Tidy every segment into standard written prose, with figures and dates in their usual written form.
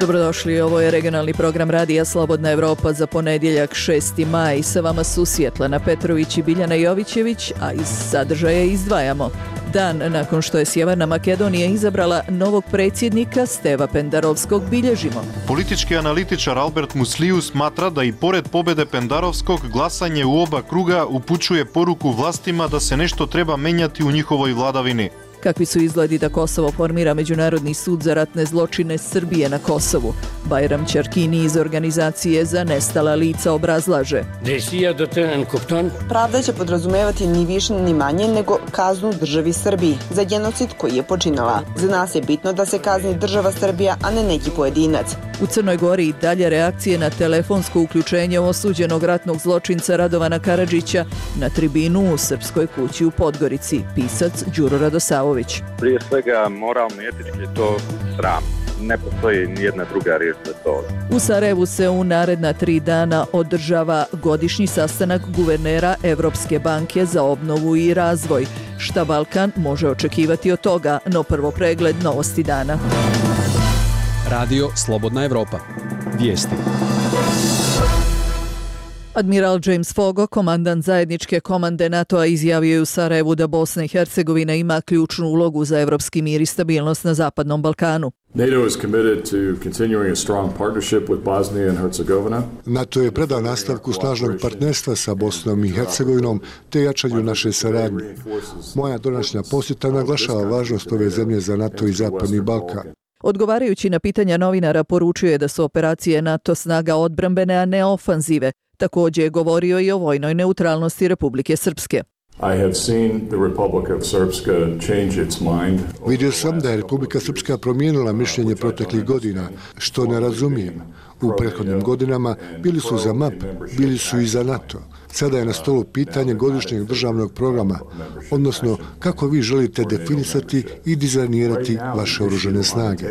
Dobrodošli, ovo je regionalni program Radija Slobodna Evropa za ponedjeljak 6. maj. Sa vama su Svjetlana Petrović i Biljana Jovićević, a iz sadržaja izdvajamo. Dan nakon što je Sjeverna Makedonija izabrala novog predsjednika Steva Pendarovskog bilježimo. Politički analitičar Albert Musliju smatra da i pored pobjede Pendarovskog glasanje u oba kruga upućuje poruku vlastima da se nešto treba menjati u njihovoj vladavini. Kakvi su izgledi da Kosovo formira Međunarodni sud za ratne zločine Srbije na Kosovu? Bajram Čarkini iz organizacije za nestala lica obrazlaže. Pravda će podrazumevati ni više ni manje nego kaznu državi Srbiji za genocid koji je počinila. Za nas je bitno da se kazni država Srbija, a ne neki pojedinac. U Crnoj Gori i dalje reakcije na telefonsko uključenje osuđenog ratnog zločinca Radovana Karadžića na tribinu u Srpskoj kući u Podgorici. Pisac Đuro Radosavović. Prije svega moralno i etički je to sram. Ne postoji nijedna druga riječ za to. U Sarajevu se u naredna 3 dana održava godišnji sastanak guvernera Evropske banke za obnovu i razvoj. Šta Balkan može očekivati od toga, no prvo pregled novosti dana. Radio Slobodna Evropa. Vijesti. Admiral James Fogo, komandant zajedničke komande NATO-a, izjavio je u Sarajevu da Bosna i Hercegovina ima ključnu ulogu za evropski mir i stabilnost na Zapadnom Balkanu. NATO je predan nastavku snažnog partnerstva sa Bosnom i Hercegovinom te jačanju naše saradnje. Moja današnja posjeta naglašava važnost ove zemlje za NATO i Zapadni Balkan. Odgovarajući na pitanja novinara, poručio je da su operacije NATO snaga odbrambene, a ne ofanzive. Također je govorio i o vojnoj neutralnosti Republike Srpske. Vidio sam da je Republika Srpska promijenila mišljenje proteklih godina, što ne razumijem. U prethodnim godinama bili su za MAP, bili su i za NATO. Sada je na stolu pitanje godišnjeg državnog programa, odnosno kako vi želite definisati i dizajnirati vaše oružane snage.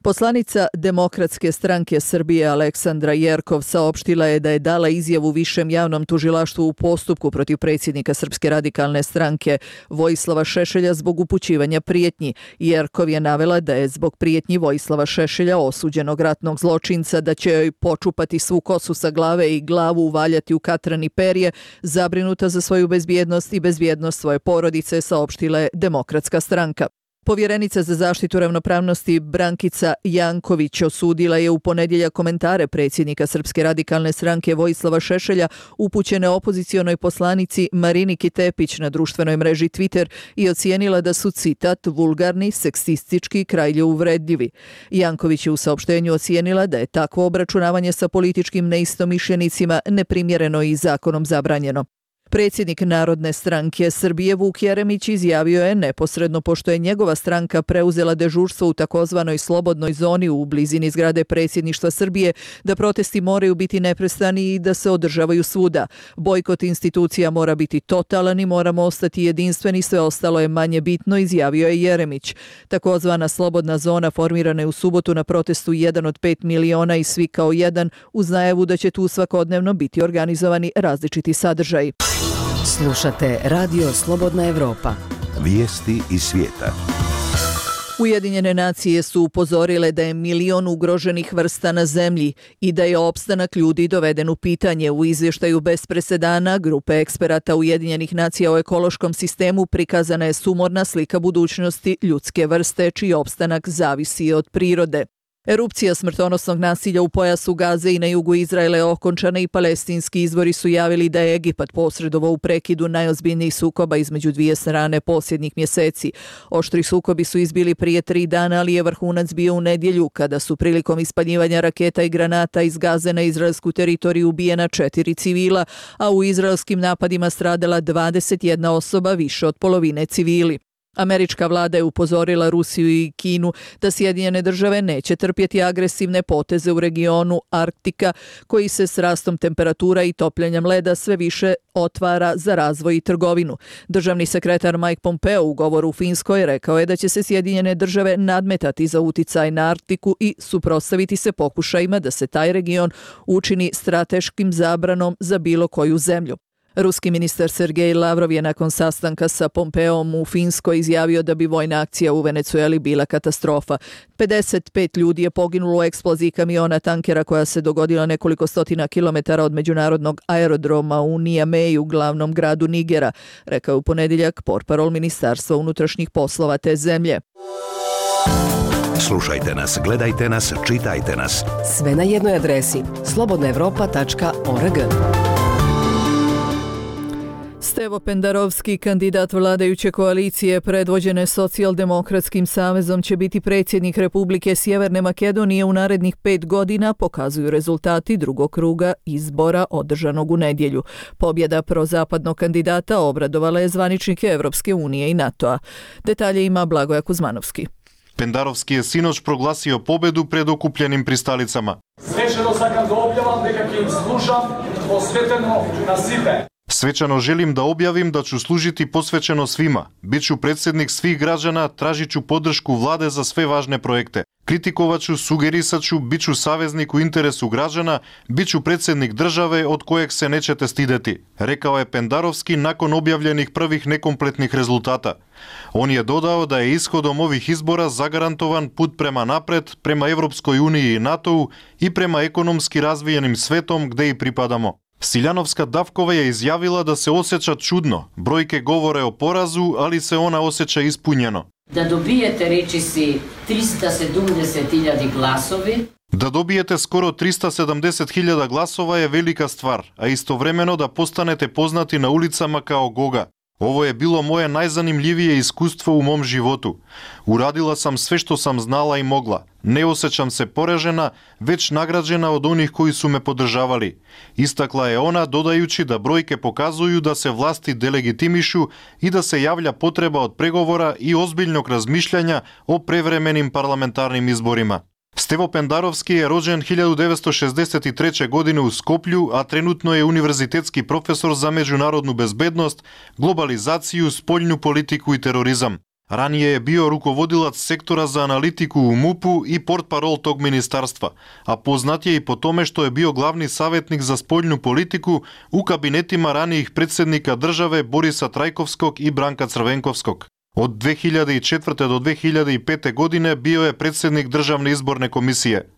Poslanica Demokratske stranke Srbije Aleksandra Jerkov saopštila je da je dala izjavu Višem javnom tužilaštvu u postupku protiv predsjednika Srpske radikalne stranke Vojislava Šešelja zbog upućivanja prijetnji. Jerkov je navela da je zbog prijetnji Vojislava Šešelja, osuđenog ratnog zločinca, da će joj počupati svu kosu sa glave i glavu uvaljati u katran i perje, zabrinuta za svoju bezbjednost i bezbjednost svoje porodice, saopštila je Demokratska stranka. Povjerenica za zaštitu ravnopravnosti Brankica Janković osudila je u ponedjeljak komentare predsjednika Srpske radikalne stranke Vojislava Šešelja upućene opozicionoj poslanici Mariniki Tepić na društvenoj mreži Twitter i ocijenila da su, citat, vulgarni, seksistički i krajlje uvredljivi. Janković je u saopštenju ocijenila da je takvo obračunavanje sa političkim neistomišljenicima neprimjereno i zakonom zabranjeno. Predsjednik Narodne stranke Srbije Vuk Jeremić izjavio je neposredno pošto je njegova stranka preuzela dežurstvo u takozvanoj slobodnoj zoni u blizini zgrade predsjedništva Srbije da protesti moraju biti neprestani i da se održavaju svuda. Bojkot institucija mora biti totalan i moramo ostati jedinstveni, sve ostalo je manje bitno, izjavio je Jeremić. Takozvana slobodna zona formirana je u subotu na protestu 1 od 5 miliona i svi kao jedan, uz najavu da će tu svakodnevno biti organizovani različiti sadržaji. Slušate Radio Slobodna Evropa. Vijesti iz svijeta. Ujedinjene nacije su upozorile da je 1 milion ugroženih vrsta na zemlji i da je opstanak ljudi doveden u pitanje. U izvještaju bez presedana grupe eksperata Ujedinjenih nacija o ekološkom sistemu prikazana je sumorna slika budućnosti ljudske vrste čiji opstanak zavisi od prirode. Erupcija smrtonosnog nasilja u pojasu Gaze i na jugu Izraela je okončana i palestinski izvori su javili da je Egipat posredovao u prekidu najozbiljnijih sukoba između dvije strane posljednjih mjeseci. Oštri sukobi su izbili prije 3 dana, ali je vrhunac bio u nedjelju kada su prilikom ispaljivanja raketa i granata iz Gaze na izraelsku teritoriju ubijena 4 civila, a u izraelskim napadima stradala 21 osoba, više od polovine civili. Američka vlada je upozorila Rusiju i Kinu da Sjedinjene države neće trpjeti agresivne poteze u regionu Arktika koji se s rastom temperatura i topljenjem leda sve više otvara za razvoj i trgovinu. Državni sekretar Mike Pompeo u govoru u Finskoj rekao je da će se Sjedinjene države nadmetati za uticaj na Arktiku i suprotstaviti se pokušajima da se taj region učini strateškim zabranom za bilo koju zemlju. Ruski ministar Sergej Lavrov je nakon sastanka sa Pompeom u Finskoj izjavio da bi vojna akcija u Venecueli bila katastrofa. 55 ljudi je poginulo u eksploziji kamiona tankera koja se dogodila nekoliko stotina kilometara od međunarodnog aerodroma u Niameju, glavnom gradu Nigera, rekao u ponedjeljak portparol Ministarstva unutrašnjih poslova te zemlje. Slušajte nas, gledajte nas, čitajte nas. Sve na jednoj adresi slobodnaevropa.org. Stevo Pendarovski, kandidat vladajuće koalicije predvođene Socijaldemokratskim savezom, će biti predsjednik Republike Sjeverne Makedonije u narednih 5 godina, pokazuju rezultati drugog kruga izbora održanog u nedjelju. Pobjeda prozapadnog kandidata obradovala je zvaničnike Evropske unije i NATO-a. Detalje ima Blagoja Kuzmanovski. Pendarovski je sinoć proglasio pobedu pred okupljenim pristalicama. Svečano sakam da objavam nekakvim služam posveteno na svime. Svečano želim da objavim da ću služiti posvećeno svima. Biću predsjednik svih građana, tražit ću podršku vlade za sve važne projekte. Kritikovat ću, sugerisat ću, bit ću saveznik u interesu građana, bit ću predsjednik države od kojeg se nećete stideti, rekao je Pendarovski nakon objavljenih prvih nekompletnih rezultata. On je dodao da je ishodom ovih izbora zagarantovan put prema napred, prema Evropskoj uniji i NATO-u i prema ekonomski razvijenim svetom gde i pripadamo. Siljanovska Davkova je izjavila da se osjeća čudno. Brojke govore o porazu, ali se ona osjeća ispunjeno. Da dobijete, reči si, 370.000 glasovi. Da dobijete skoro 370.000 glasova je velika stvar, a istovremeno da postanete poznati na ulicama kao Goga. Ovo je bilo moje najzanimljivije iskustvo u mom životu. Uradila sam sve što sam znala i mogla. Ne osjećam se poražena, već nagrađena od onih koji su me podržavali. Istakla je ona, dodajući da brojke pokazuju da se vlasti delegitimišu i da se javlja potreba od pregovora i ozbiljnog razmišljanja o prevremenim parlamentarnim izborima. Stevo Pendarovski je rođen 1963. godine u Skoplju, a trenutno je univerzitetski profesor za međunarodnu bezbednost, globalizaciju, spoljnu politiku i terorizam. Ranije je bio rukovodilac sektora za analitiku u MUP-u i portparol tog ministarstva, a poznat je i po tome što je bio glavni savjetnik za spoljnu politiku u kabinetima ranijih predsjednika države Borisa Trajkovskog i Branka Crvenkovskog. Od 2004. do 2005. godine bio je predsjednik Državne izborne komisije.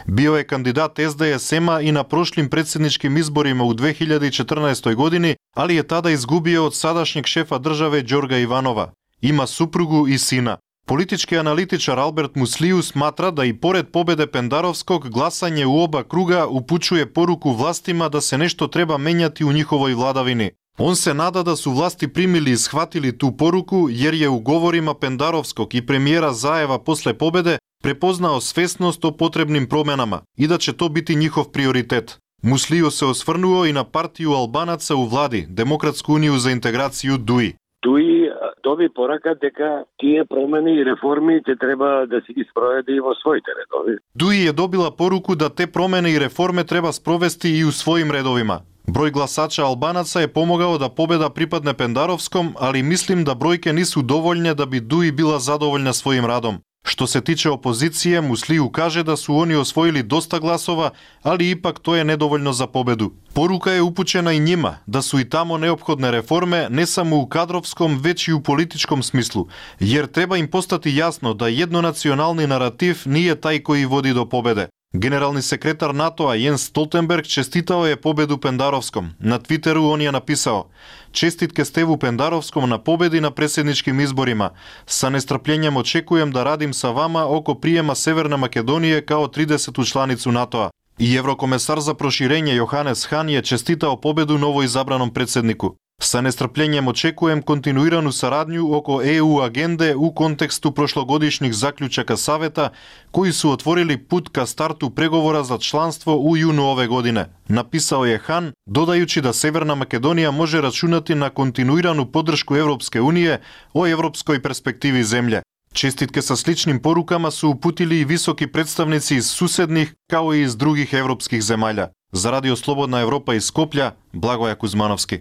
Bio je kandidat SDSM-a i na prošlim predsjedničkim izborima u 2014. godini, ali je tada izgubio od sadašnjeg šefa države Đorga Ivanova. Ima suprugu i sina. Politički analitičar Albert Musliju smatra da i pored pobjede Pendarovskog glasanje u oba kruga upućuje poruku vlastima da se nešto treba menjati u njihovoj vladavini. On se nada da su vlasti primili i shvatili tu poruku jer je u govorima Pendarovskog i premijera Zajeva posle pobjede prepoznao svesnost o potrebnim promjenama i da će to biti njihov prioritet. Musliju se osvrnuo i na partiju Albanaca u vladi, Demokratsku uniju za integraciju DUI. DUI dobi poruka дека tije promjene i reformi te treba da se isprovede i vo svojite redovi. DUI je dobila poruku da te promjene i reforme treba sprovesti i u svojim redovima. Broj glasača Albanaca je pomogao da pobjeda pripadne Pendarovskom, ali mislim da brojke nisu dovoljne da bi DUI bila zadovoljna svojim radom. Što se tiče opozicije, Musliju kaže da su oni osvojili dosta glasova, ali ipak to je nedovoljno za pobedu. Poruka je upućena i njima, da su i tamo neophodne reforme, ne samo u kadrovskom, već i u političkom smislu, jer treba im postati jasno da jednonacionalni narativ nije taj koji vodi do pobede. Generalni sekretar NATO-a Jens Stoltenberg čestitao je pobedu Pendarovskom. Na Twitteru on je napisao: "Čestitke Stevu Pendarovskom na pobedi na predsjedničkim izborima. Sa nestrpljenjem očekujem da radim sa vama oko prijema Severne Makedonije kao 30. članicu NATO-a." I Evrokomesar za proširenje Johannes Hahn je čestitao pobedu novoizabranom predsjedniku. Sa nestrpljenjem očekujem kontinuiranu saradnju oko EU agende u kontekstu prošlogodišnjih zaključaka saveta koji su otvorili put ka startu pregovora za članstvo u junu ove godine. Napisao je Hahn, dodajući da Severna Makedonija može računati na kontinuiranu podršku Evropske unije o evropskoj perspektivi zemlje. Čestitke sa sličnim porukama su uputili i visoki predstavnici iz susednih kao i iz drugih evropskih zemalja. Za Radio Slobodna Evropa iz Skoplja, Blagoja Kuzmanovski.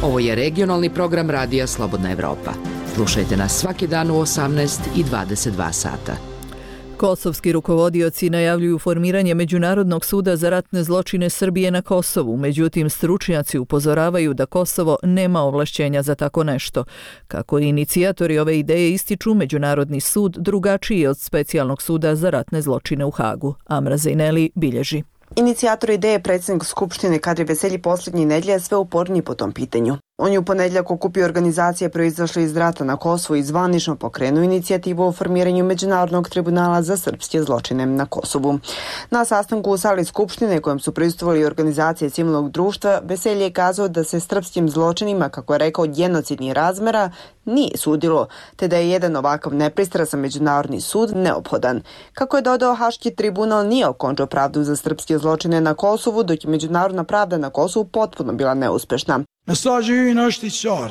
Ovo je regionalni program Radija Slobodna Evropa. Slušajte nas svaki dan u 18 i 22 sata. Kosovski rukovodioci najavljuju formiranje Međunarodnog suda za ratne zločine Srbije na Kosovu, međutim stručnjaci upozoravaju da Kosovo nema ovlašćenja za tako nešto. Kako i inicijatori ove ideje ističu, Međunarodni sud drugačiji je od specijalnog suda za ratne zločine u Hagu. Amra Zejneli bilježi. Inicijator ideje predsjednik Skupštine Kadri Veselji posljednjih nedjelja sve uporniji po tom pitanju. On je u ponedjeljak okupio organizacije proizašle iz rata na Kosovu i zvanično pokrenuo inicijativu o formiranju Međunarodnog tribunala za srpske zločine na Kosovu. Na sastanku u sali Skupštine kojem su prisustvovali organizacije civilnog društva, Veselji je kazao da se srpskim zločinima, kako je rekao, genocidnih razmjera nije sudilo, te da je jedan ovakav nepristrasan međunarodni sud neophodan. Kako je dodao, Haški tribunal nije okončao pravdu za srpske zločine na Kosovu, dok je međunarodna pravda na Kosovu potpuno bila neuspešna.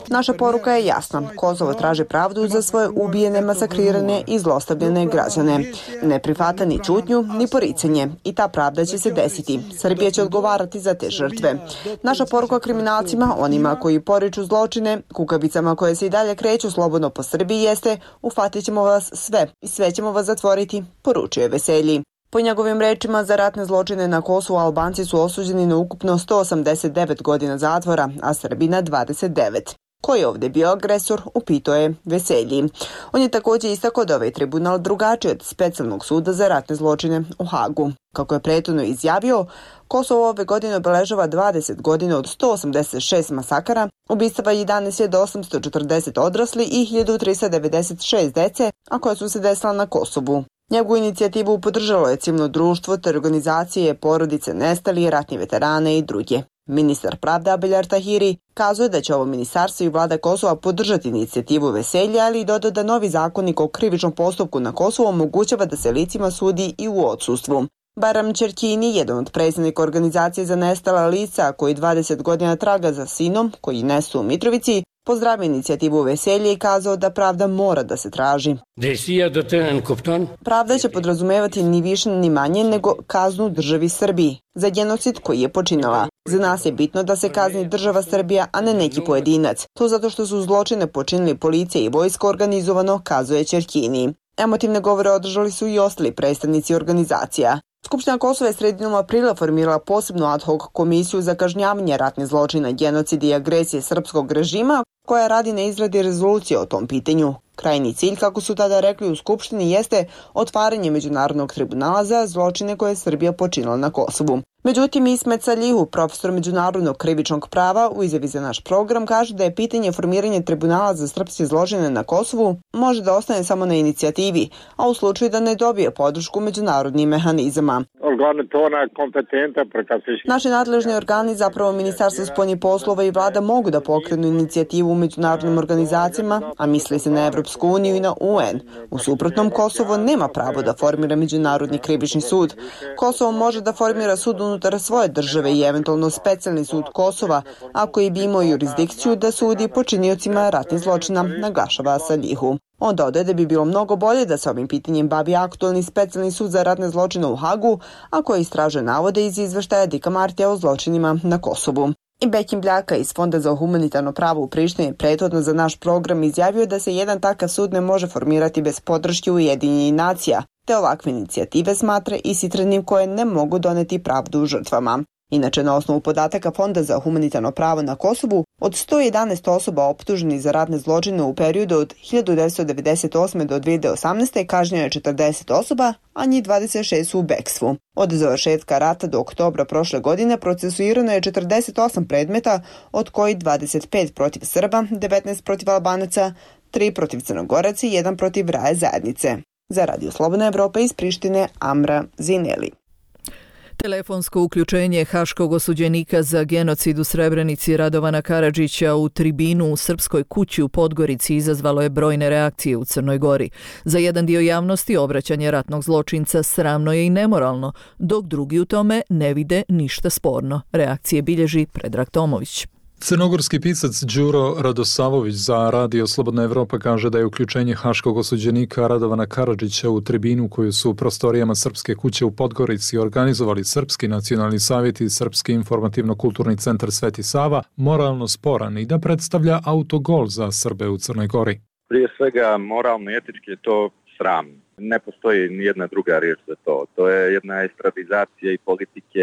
Naša poruka je jasna. Kosovo traži pravdu za svoje ubijene, masakrirane i zlostavljene građane. Ne prihvata ni ćutnju, ni poricanje. I ta pravda će se desiti. Srbija će odgovarati za te žrtve. Naša poruka kriminalcima, onima koji poriču zločine, kukavicama koje se i dalje kreću slobodno po Srbiji jeste: uhvatit ćemo vas sve i sve ćemo vas zatvoriti, poručio je Veselji. Po njegovim rečima, za ratne zločine na Kosovu Albanci su osuđeni na ukupno 189 godina zatvora, a Srbi na 29. Ko je ovdje bio agresor, upitao je Veselji. On je također istakao da ovaj tribunal drugačiji od specijalnog suda za ratne zločine u Hagu. Kako je prethodno izjavio, Kosovo ove godine obeležava 20 godina od 186 masakara, ubistava 11.840 odrasli i 1396 dece, a koje su se desila na Kosovu. Njegovu inicijativu podržalo je civilno društvo te organizacije, porodice nestalih, ratni veterane i druge. Ministar pravde Abeljar Tahiri kazuje da će ovo ministarstvo i vlada Kosova podržati inicijativu Veselja, ali i dodao da novi zakonik o krivičnom postupku na Kosovu omogućava da se licima sudi i u odsustvu. Baram Čerkini, jedan od predsjednika organizacije za nestala lica koji 20 godina traga za sinom koji nesu u Mitrovici, pozdravio inicijativu Veselje i kazao da pravda mora da se traži. Pravda će podrazumevati ni više ni manje nego kaznu državi Srbiji za genocid koji je počinila. Za nas je bitno da se kazni država Srbija, a ne neki pojedinac. To zato što su zločine počinili policija i vojska organizovano, kazuje Čerkini. Emotivne govore održali su i ostali predstavnici organizacija. Skupština Kosova je sredinom aprila formirala posebnu ad hoc komisiju za kažnjavanje ratnih zločina, genocida i agresije srpskog režima, koja radi na izradi rezolucije o tom pitanju. Krajnji cilj, kako su tada rekli u Skupštini, jeste otvaranje Međunarodnog tribunala za zločine koje je Srbija počinila na Kosovu. Međutim, Ismet Salihu, profesor međunarodnog krivičnog prava, u izjavi za naš program kaže da je pitanje formiranja tribunala za srpske zločine na Kosovu može da ostane samo na inicijativi, a u slučaju da ne dobije podršku međunarodnih mehanizama. Naši nadležni organi, zapravo Ministarstvo spoljnih poslova i vlada, mogu da pokrenu inicijativu u međunarodnim organizacijama, a misli se na Evropsku uniju i na UN. U suprotnom, Kosovo nema pravo da formira Međunarodni krivični sud. Kosovo može da formira sud unutar svoje države i eventualno specijalni sud Kosova, ako i bi imao jurisdikciju da sudi počiniocima ratnih zločina, naglašava Salihu. On dodaje da bi bilo mnogo bolje da se ovim pitanjem bavi aktualni specijalni sud za ratne zločine u Hagu, a koji istražuje navode iz izveštaja Dika Martija o zločinima na Kosovu. I Bekim Bljaka iz Fonda za humanitarno pravo u Prištini prethodno za naš program izjavio da se jedan takav sud ne može formirati bez podrške Ujedinjenih nacija, te ovakve inicijative smatra ishitrenim koje ne mogu doneti pravdu žrtvama. Inače, na osnovu podataka Fonda za humanitarno pravo na Kosovu, od 111 osoba optuženih za ratne zločine u periodu od 1998. do 2018. kažnjeno je 40 osoba, a njih 26 su u bekstvu. Od završetka rata do oktobra prošle godine procesuirano je 48 predmeta, od kojih 25 protiv Srba, 19 protiv Albanaca, 3 protiv Crnogoraca i 1 protiv Raje zajednice. Za Radio Slobodna Evropa iz Prištine, Amra Zineli. Telefonsko uključenje haškog osuđenika za genocid u Srebrenici Radovana Karadžića u tribinu u Srpskoj kući u Podgorici izazvalo je brojne reakcije u Crnoj Gori. Za jedan dio javnosti obraćanje ratnog zločinca sramno je i nemoralno, dok drugi u tome ne vide ništa sporno. Reakcije bilježi Predrag Tomović. Crnogorski pisac Đuro Radosavović za Radio Slobodna Evropa kaže da je uključenje haškog osuđenika Radovana Karadžića u tribinu koju su u prostorijama Srpske kuće u Podgorici organizovali Srpski nacionalni savjet i Srpski informativno-kulturni centar Sveti Sava moralno sporan i da predstavlja autogol za Srbe u Crnoj Gori. Prije svega moralno i etički je to sram. Ne postoji ni jedna druga riječ za to. To je jedna estradizacija i politike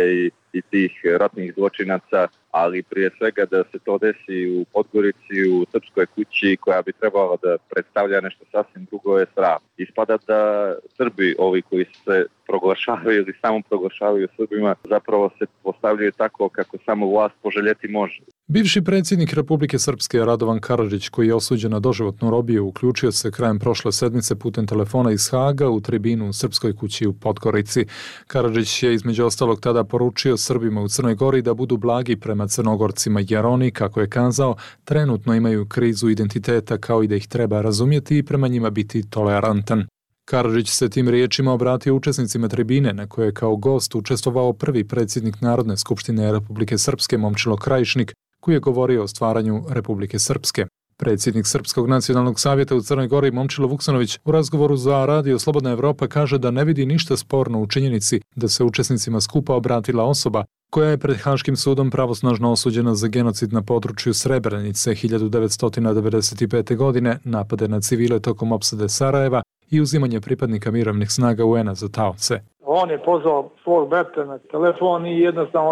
i tih ratnih zločinaca, ali prije svega da se to desi u Podgorici, u Srpskoj kući koja bi trebala da predstavlja nešto sasvim drugo je sram. Ispada da Srbi, ovi koji se proglašavaju ili samo proglašavaju Srbima, zapravo se postavljaju tako kako samo vlast poželjeti može. Bivši predsjednik Republike Srpske Radovan Karadžić, koji je osuđen na doživotnu robiju, uključio se krajem prošle sedmice putem telefona iz Haga u tribinu u Srpskoj kući u Podgorici. Karadžić je između ostalog tada poručio Srbima u Crnoj Gori da budu blagi prema Crnogorcima jer oni, kako je kazao, trenutno imaju krizu identiteta kao i da ih treba razumjeti i prema njima biti tolerantan. Karadžić se tim riječima obratio učesnicima tribine na kojoj je kao gost učestvovao prvi predsjednik Narodne skupštine Republike Srpske Momčilo Krajišnik, koji je govorio o stvaranju Republike Srpske. Predsjednik Srpskog nacionalnog savjeta u Crnoj Gori Momčilo Vuksanović u razgovoru za Radio Slobodna Evropa kaže da ne vidi ništa sporno u činjenici da se učesnicima skupa obratila osoba koja je pred Haškim sudom pravosnažno osuđena za genocid na području Srebrenice 1995. godine, napade na civile tokom opsade Sarajeva i uzimanje pripadnika mirovnih snaga UN-a za taoce. On je pozvao svog brata na telefon i jednostavno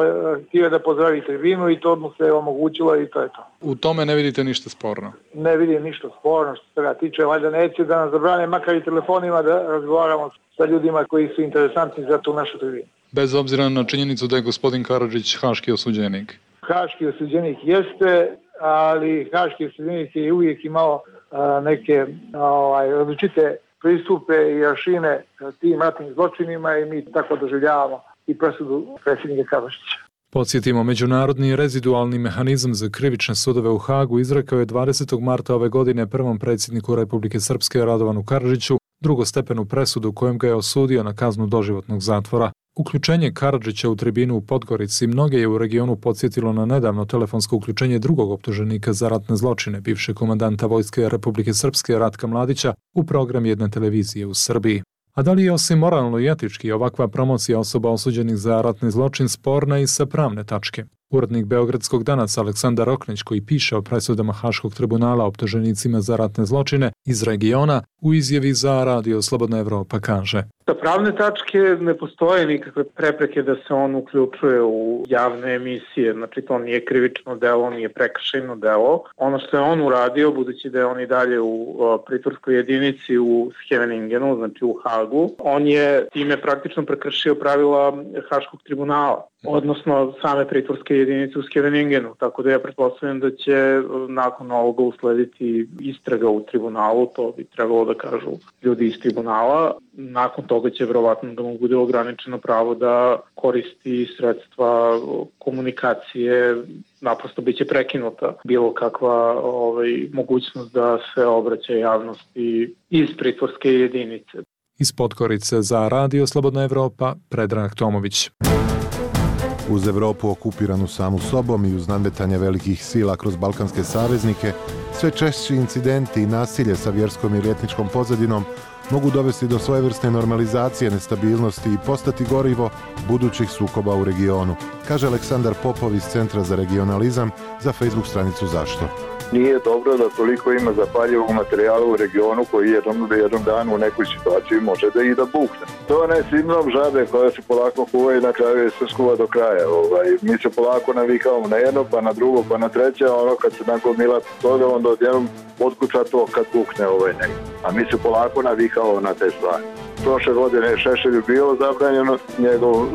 htio da pozdravi tribinu i to mu se omogućilo i to je to. U tome ne vidite ništa sporno? Ne vidim ništa sporno što se ga tiče, valjda neće da nas zabrane makar i telefonima da razgovaramo sa ljudima koji su interesantni za tu našu tribinu. Bez obzira na činjenicu da je gospodin Karadžić haški osuđenik? Haški osuđenik jeste, ali haški osuđenik je uvijek imao neke različite pristupe i aršine tim ratnim zločinima i mi tako doživljavamo i presudu predsjednika Karadžića. Podsjetimo, Međunarodni rezidualni mehanizam za krivične sudove u Hagu izrekao je 20. marta ove godine prvom predsjedniku Republike Srpske Radovanu Karadžiću drugostepenu presudu kojom ga je osudio na kaznu doživotnog zatvora. Uključenje Karadžića u tribinu u Podgorici mnoge je u regionu podsjetilo na nedavno telefonsko uključenje drugog optuženika za ratne zločine, bivšeg komandanta Vojske Republike Srpske Ratka Mladića, u program jedne televizije u Srbiji. A da li je osim moralno i etički ovakva promocija osoba osuđenih za ratni zločin sporna i sa pravne tačke? Urednik Beogradskog Danaca Aleksandar Oknić, koji piše o presudama Haškog tribunala optuženicima za ratne zločine iz regiona, u izjavi za Radio Slobodna Evropa kaže: Sa pravne tačke ne postoje nikakve prepreke da se on uključuje u javne emisije, znači to nije krivično delo, nije prekršajno delo. Ono što je on uradio, budući da je on i dalje u pritvorskoj jedinici u Scheveningenu, znači u Hagu, on je time praktično prekršio pravila Haškog tribunala, odnosno same pritvorske jedinice u Scheveningenu, tako da ja pretpostavljam da će nakon ovoga uslediti istraga u tribunalu, to bi trebalo da kažu ljudi iz tribunala. Nakon toga će verovatno da mu bude ograničeno pravo da koristi sredstva komunikacije, naprosto biće prekinuta bilo kakva mogućnost da se obraća javnosti iz pritvorske jedinice. Iz Podgorice za Radio Slobodna Evropa, Predrag Tomović. Uz Evropu okupiranu samu sobom i uz nadmetanje velikih sila kroz balkanske saveznike, sve češći incidenti i nasilje sa vjerskom i etničkom pozadinom mogu dovesti do svojevrsne normalizacije nestabilnosti i postati gorivo budućih sukoba u regionu, kaže Aleksandar Popov iz Centra za regionalizam za Facebook stranicu Zašto. Nije dobro da toliko ima zapaljivog materijala u regionu koji jednom danu u nekoj situaciji može da i da bukne. To je sindrom žabe koja se polako kuva i na kraju se skuva do kraja. Mi se polako navikavamo na jedno, pa na drugo, pa na treće, a ono kad se nagomila toga, onda odjednom otkuca to kad bukne negdje. A mi se polako navikavamo na te stvari. Prošle godine Šešelju bilo zabranjeno, njegovo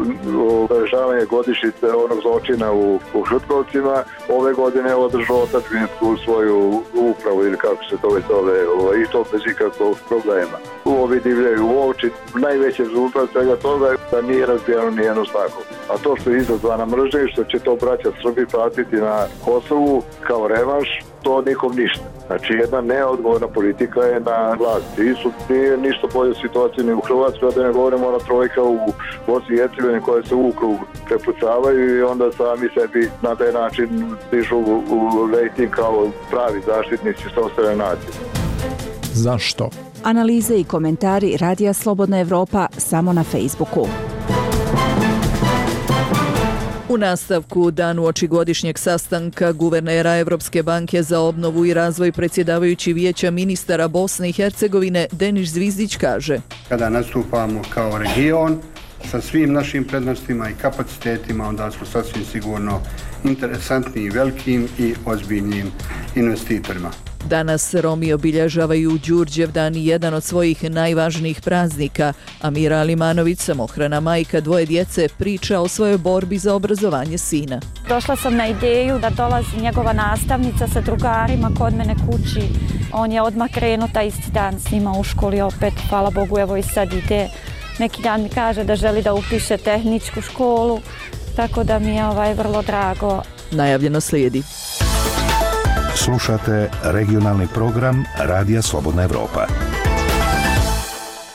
obeležavanje godišnjice onog zločina u Šutkovcima. Ove godine je održao otadžbinsku svoju upravu ili kako se to već zove, i to bez ikakvog problema. Ovi divljaju u oči, najveći rezultat svega toga je da nije razbijeno nijedno staklo. A to što je izazvana mržnja i što će to braća Srbi platiti na Kosovu kao revanš, to nikom ništa. Znači jedna neodgovorna politika je na vlasti. Nije ništa bolje situacije ni u Hrvatskoj, da ne govorimo ona trojka u Bosni i Hercegovini koje se u krug prepucavaju i onda sami sebi na taj način dižu u rejting kao pravi zaštitnici sopstvene nacije. Zašto? Analize i komentari Radija Slobodna Evropa samo na Facebooku. U nastavku danu oči godišnjeg sastanka guvernera Evropske banke za obnovu i razvoj predsjedavajući Vijeća ministara Bosne i Hercegovine Denis Zvizdić kaže: Kada nastupamo kao region sa svim našim prednostima i kapacitetima, onda smo sasvim sigurno interesantni i velikim i ozbiljnim investitorima. Danas Romi obilježavaju Đurđevdan, jedan od svojih najvažnijih praznika. Amira Alimanović, samohrana majka dvoje djece, priča o svojoj borbi za obrazovanje sina. Došla sam na ideju da dolazi njegova nastavnica sa drugarima kod mene kući. On je odmah krenuo taj isti dan s njima u školi opet. Hvala Bogu, evo i sad ide. Neki dan mi kaže da želi da upiše tehničku školu, tako da mi je vrlo drago. Najavljeno slijedi. Slušate regionalni program Radija Slobodna Evropa.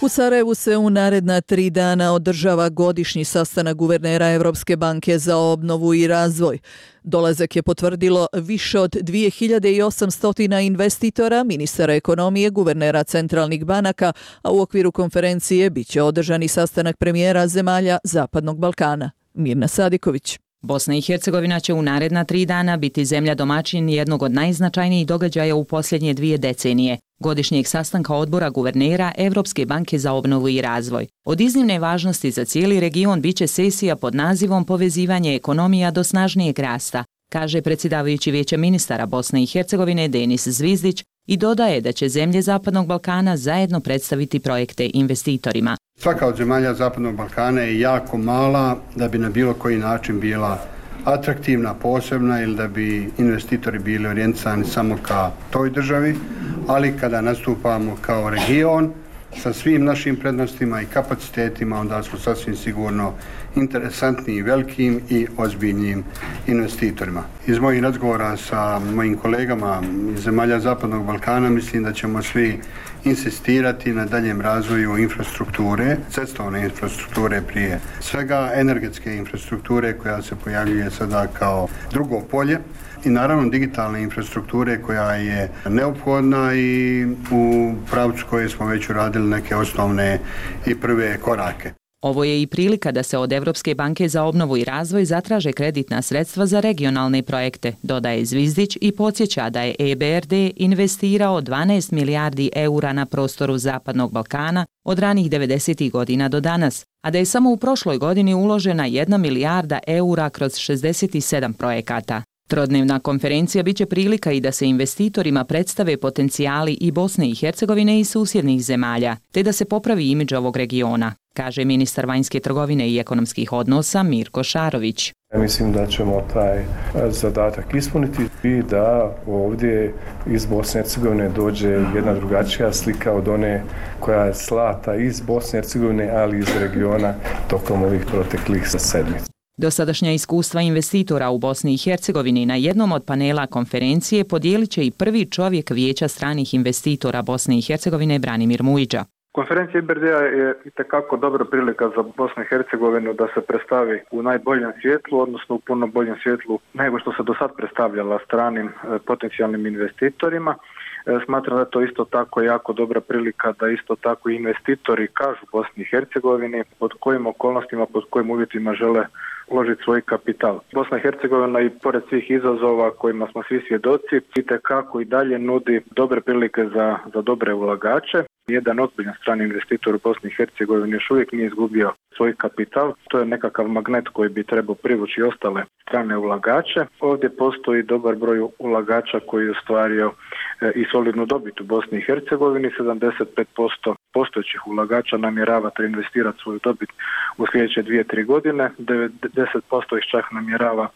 U Sarajevu se u naredna 3 dana održava godišnji sastanak guvernera Evropske banke za obnovu i razvoj. Dolazak je potvrdilo više od 2800 investitora, ministara ekonomije, guvernera centralnih banaka, a u okviru konferencije biće održani sastanak premijera zemalja Zapadnog Balkana. Mirna Sadiković. Bosna i Hercegovina će u naredna 3 dana biti zemlja domaćin jednog od najznačajnijih događaja u posljednje 2 decenije, godišnjeg sastanka odbora guvernera Evropske banke za obnovu i razvoj. Od iznimne važnosti za cijeli region biće sesija pod nazivom Povezivanje ekonomija do snažnijeg rasta, kaže predsjedavajući Vijeća ministara Bosne i Hercegovine Denis Zvizdić i dodaje da će zemlje Zapadnog Balkana zajedno predstaviti projekte investitorima. Svaka od zemalja Zapadnog Balkana je jako mala da bi na bilo koji način bila atraktivna, posebna ili da bi investitori bili orijentisani samo ka toj državi, ali kada nastupamo kao region sa svim našim prednostima i kapacitetima, onda smo sasvim sigurno interesantni i velikim i ozbiljnim investitorima. Iz mojih razgovora sa mojim kolegama iz zemalja Zapadnog Balkana mislim da ćemo svi insistirati na daljem razvoju infrastrukture, cestovne infrastrukture prije svega, energetske infrastrukture koja se pojavljuje sada kao drugo polje i naravno digitalne infrastrukture koja je neophodna i u pravcu koje smo već uradili neke osnovne i prve korake. Ovo je i prilika da se od Evropske banke za obnovu i razvoj zatraže kreditna sredstva za regionalne projekte, dodaje Zvizdić i podsjeća da je EBRD investirao 12 milijardi eura na prostoru Zapadnog Balkana od ranih 90. godina do danas, a da je samo u prošloj godini uložena 1 milijarda eura kroz 67 projekata. Trodnevna konferencija biće prilika i da se investitorima predstave potencijali i Bosne i Hercegovine i susjednih zemalja, te da se popravi imidž ovog regiona, kaže ministar vanjske trgovine i ekonomskih odnosa Mirko Šarović. Ja mislim da ćemo taj zadatak ispuniti i da ovdje iz Bosne i Hercegovine dođe jedna drugačija slika od one koja je slata iz Bosne i Hercegovine, ali iz regiona tokom ovih proteklih sedmica. Dosadašnja iskustva investitora u Bosni i Hercegovini na jednom od panela konferencije podijelit će i prvi čovjek Vijeća stranih investitora Bosne i Hercegovine Branimir Mujiđa. Konferencija IBRD-a je itekako dobra prilika za Bosnu i Hercegovinu da se predstavi u najboljem svjetlu, odnosno u puno boljem svjetlu nego što se do sad predstavljala stranim potencijalnim investitorima. Smatram da je to isto tako jako dobra prilika da isto tako investitori kažu Bosni i Hercegovini pod kojim okolnostima, pod kojim uvjetima žele uložiti svoj kapital. Bosna i Hercegovina i pored svih izazova kojima smo svi svjedoci itekako i dalje nudi dobre prilike za dobre ulagače. Jedan ozbiljan strani investitor u Bosni i Hercegovini još uvijek nije izgubio svoj kapital. To je nekakav magnet koji bi trebao privući ostale strane ulagače. Ovdje postoji dobar broj ulagača koji je ostvario i solidnu dobit u Bosni i Hercegovini. 75% postojećih ulagača namjerava investirati svoju dobit u sljedeće 2-3 godine. 90% ih čak namjerava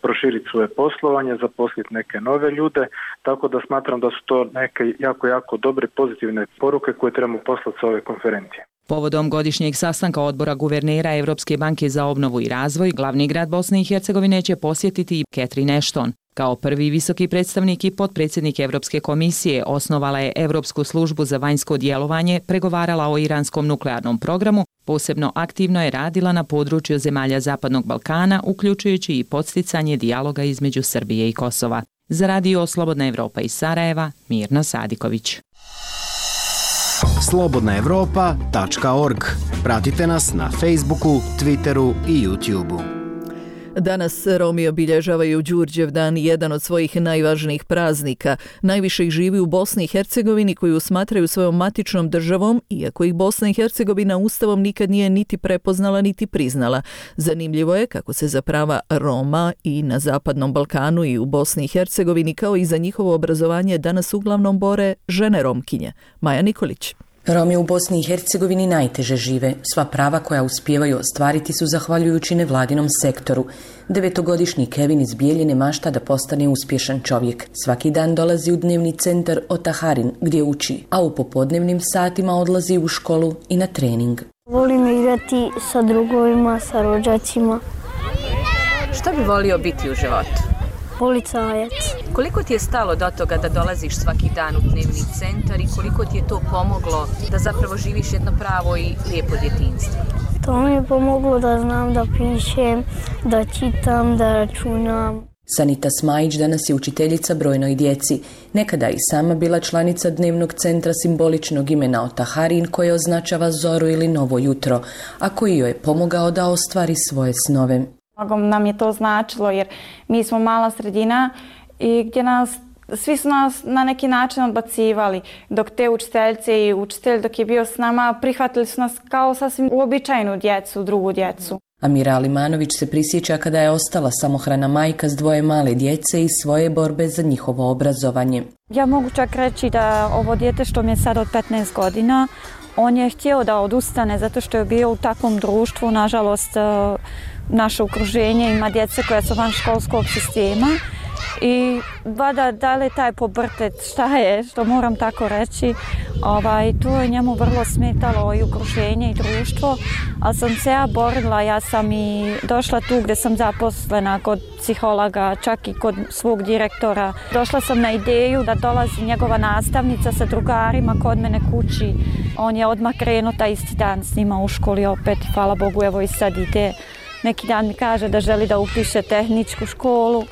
proširiti svoje poslovanje, zaposliti neke nove ljude, tako da smatram da su to neke jako dobre pozitivne poruke koje trebamo poslati sa ove konferencije. Povodom godišnjeg sastanka odbora guvernera Evropske banke za obnovu i razvoj, glavni grad Bosne i Hercegovine će posjetiti i Catherine Ashton. Kao prvi visoki predstavnik i potpredsjednik Evropske komisije osnovala je Evropsku službu za vanjsko djelovanje, pregovarala o iranskom nuklearnom programu, posebno aktivno je radila na području zemalja Zapadnog Balkana, uključujući i podsticanje dijaloga između Srbije i Kosova. Za Radio Slobodna Evropa iz Sarajeva, Mirna Sadiković. slobodnaevropa.org. Pratite nas na Facebooku, Twitteru i YouTubeu. Danas Romi obilježavaju Đurđevdan, jedan od svojih najvažnijih praznika. Najviše ih živi u Bosni i Hercegovini, koju smatraju svojom matičnom državom, iako ih Bosna i Hercegovina ustavom nikad nije niti prepoznala niti priznala. Zanimljivo je kako se za prava Roma i na Zapadnom Balkanu i u Bosni i Hercegovini, kao i za njihovo obrazovanje, danas uglavnom bore žene Romkinje. Maja Nikolić. Romi u Bosni i Hercegovini najteže žive. Sva prava koja uspijevaju ostvariti su zahvaljujući nevladinom sektoru. 9-godišnji Kevin iz Bijeljine mašta da postane uspješan čovjek. Svaki dan dolazi u dnevni centar Otaharin gdje uči, a u popodnevnim satima odlazi u školu i na trening. Volim igrati sa drugovima, sa rođacima. Šta bi volio biti u životu? Policajac. Koliko ti je stalo do toga da dolaziš svaki dan u dnevni centar i koliko ti je to pomoglo da zapravo živiš jedno pravo i lijepo djetinjstvo? To mi je pomoglo da znam da pišem, da čitam, da računam. Sanita Smajić danas je učiteljica brojnoj djeci. Nekada i sama bila članica dnevnog centra simboličnog imena Otaharin, koje označava zoru ili novo jutro, a koji joj je pomogao da ostvari svoje snove. Mnogo nam je to značilo jer mi smo mala sredina i gdje svi su nas na neki način odbacivali, dok te učiteljice i učitelj dok je bio s nama prihvatili su nas kao sasvim uobičajenu djecu, drugu djecu. Amira Alimanović se prisjeća kada je ostala samohrana majka s 2 male djece i svoje borbe za njihovo obrazovanje. Ja mogu čak reći da ovo dijete što mi je sad od 15 godina, on je htio da odustane zato što je bio u takvom društvu. Nažalost, naše okruženje ima djece koja su van školskog sistema i da li je taj pobrtet, šta je, što moram tako reći, to je njemu vrlo smetalo i okruženje i društvo, ali sam se ja borila, ja sam i došla tu gdje sam zaposlena kod psihologa, čak i kod svog direktora. Došla sam na ideju da dolazi njegova nastavnica sa drugarima kod mene kući. On je odmah krenuo taj isti dan s njima u školi opet, hvala Bogu, evo i sad ide. Neki dan mi kaže da želi da upiše tehničku školu,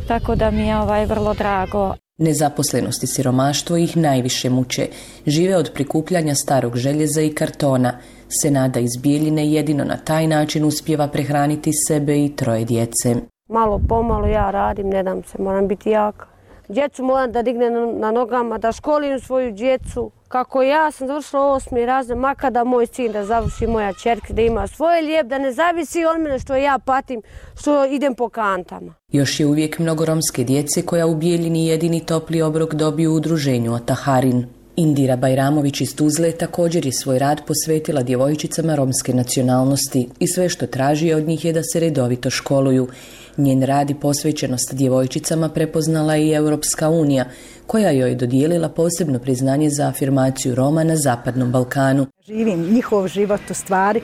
tako da mi je vrlo drago. Nezaposlenost i siromaštvo ih najviše muče. Žive od prikupljanja starog željeza i kartona. Senada iz Bijeljine jedino na taj način uspijeva prehraniti sebe i 3 djece. Malo pomalo ja radim, ne dam se, moram biti jaka. Djecu moram da dignem na nogama, da školim svoju djecu. Kako ja sam završila 8. razred, makada moj sin da završi, moja ćerka da ima svoje lijep, da ne zavisi od mene što ja patim, što idem po kantama. Još je uvijek mnogo romske djece koja u Bijeljini jedini topli obrok dobiju u udruženju Otaharin. Indira Bajramović iz Tuzle također je svoj rad posvetila djevojčicama romske nacionalnosti i sve što traži od njih je da se redovito školuju. Njen rad i posvećenost djevojčicama prepoznala i Europska unija, koja joj dodijelila posebno priznanje za afirmaciju Roma na Zapadnom Balkanu. Živim njihov život u stvari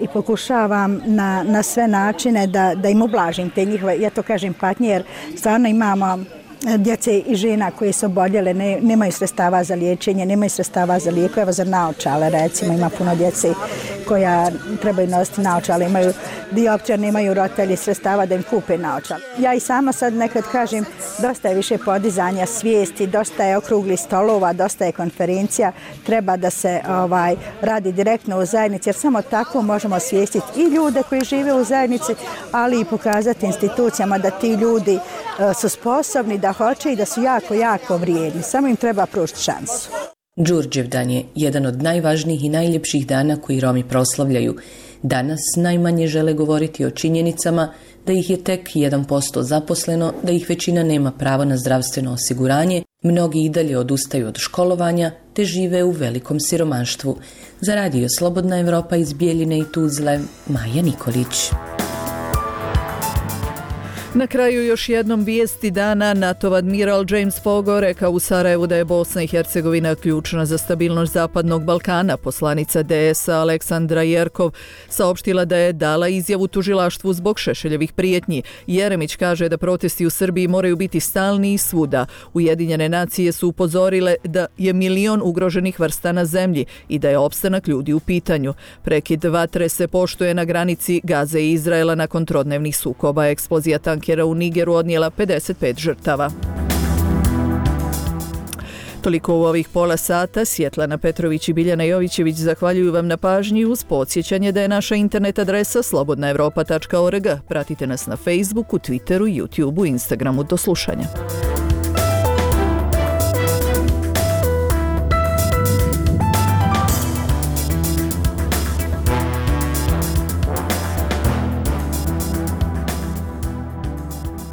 i pokušavam na sve načine da im ublažim te njihove, ja to kažem, patnje, jer stvarno imamo djece i žena koje su oboljele, nemaju sredstava za liječenje, nemaju sredstava za lijekove, za naočale, recimo ima puno djece koja trebaju nositi naočale, imaju dioptrija, nemaju roditelji sredstava da im kupe naočale. Ja i sama sad nekad kažem, dosta je više podizanja svijesti, dosta je okruglih stolova, dosta je konferencija, treba da se radi direktno u zajednici, jer samo tako možemo osvijestiti i ljude koji žive u zajednici, ali i pokazati institucijama da ti ljudi su sposobni, da hoće i da su jako, jako vrijedni. Samo im treba pružiti šansu. Đurđevdan je jedan od najvažnijih i najljepših dana koji Romi proslavljaju. Danas najmanje žele govoriti o činjenicama da ih je tek 1% zaposleno, da ih većina nema pravo na zdravstveno osiguranje, mnogi i dalje odustaju od školovanja te žive u velikom siromaštvu. Za Radio Slobodna Evropa iz Bijeljine i Tuzle, Maja Nikolić. Na kraju još jednom vijesti dana. NATO admiral James Fogo rekao u Sarajevu da je Bosna i Hercegovina ključna za stabilnost Zapadnog Balkana. Poslanica DS-a Aleksandra Jerkov saopštila da je dala izjavu tužilaštvu zbog Šešeljevih prijetnji. Jeremić kaže da protesti u Srbiji moraju biti stalni i svuda. Ujedinjene nacije su upozorile da je 1 milion ugroženih vrsta na zemlji i da je opstanak ljudi u pitanju. Prekid vatre se poštuje na granici Gaze i Izraela nakon trodnevnih sukoba. Eksplozija tankera u Nigeru odnijela 55 žrtava. Toliko u ovih pola sata. Svjetlana Petrović i Biljana Jovićević zahvaljuju vam na pažnji uz podsjećanje da je naša internet adresa slobodnaevropa.org. Pratite nas na Facebooku, Twitteru, YouTubeu, Instagramu. Do slušanja.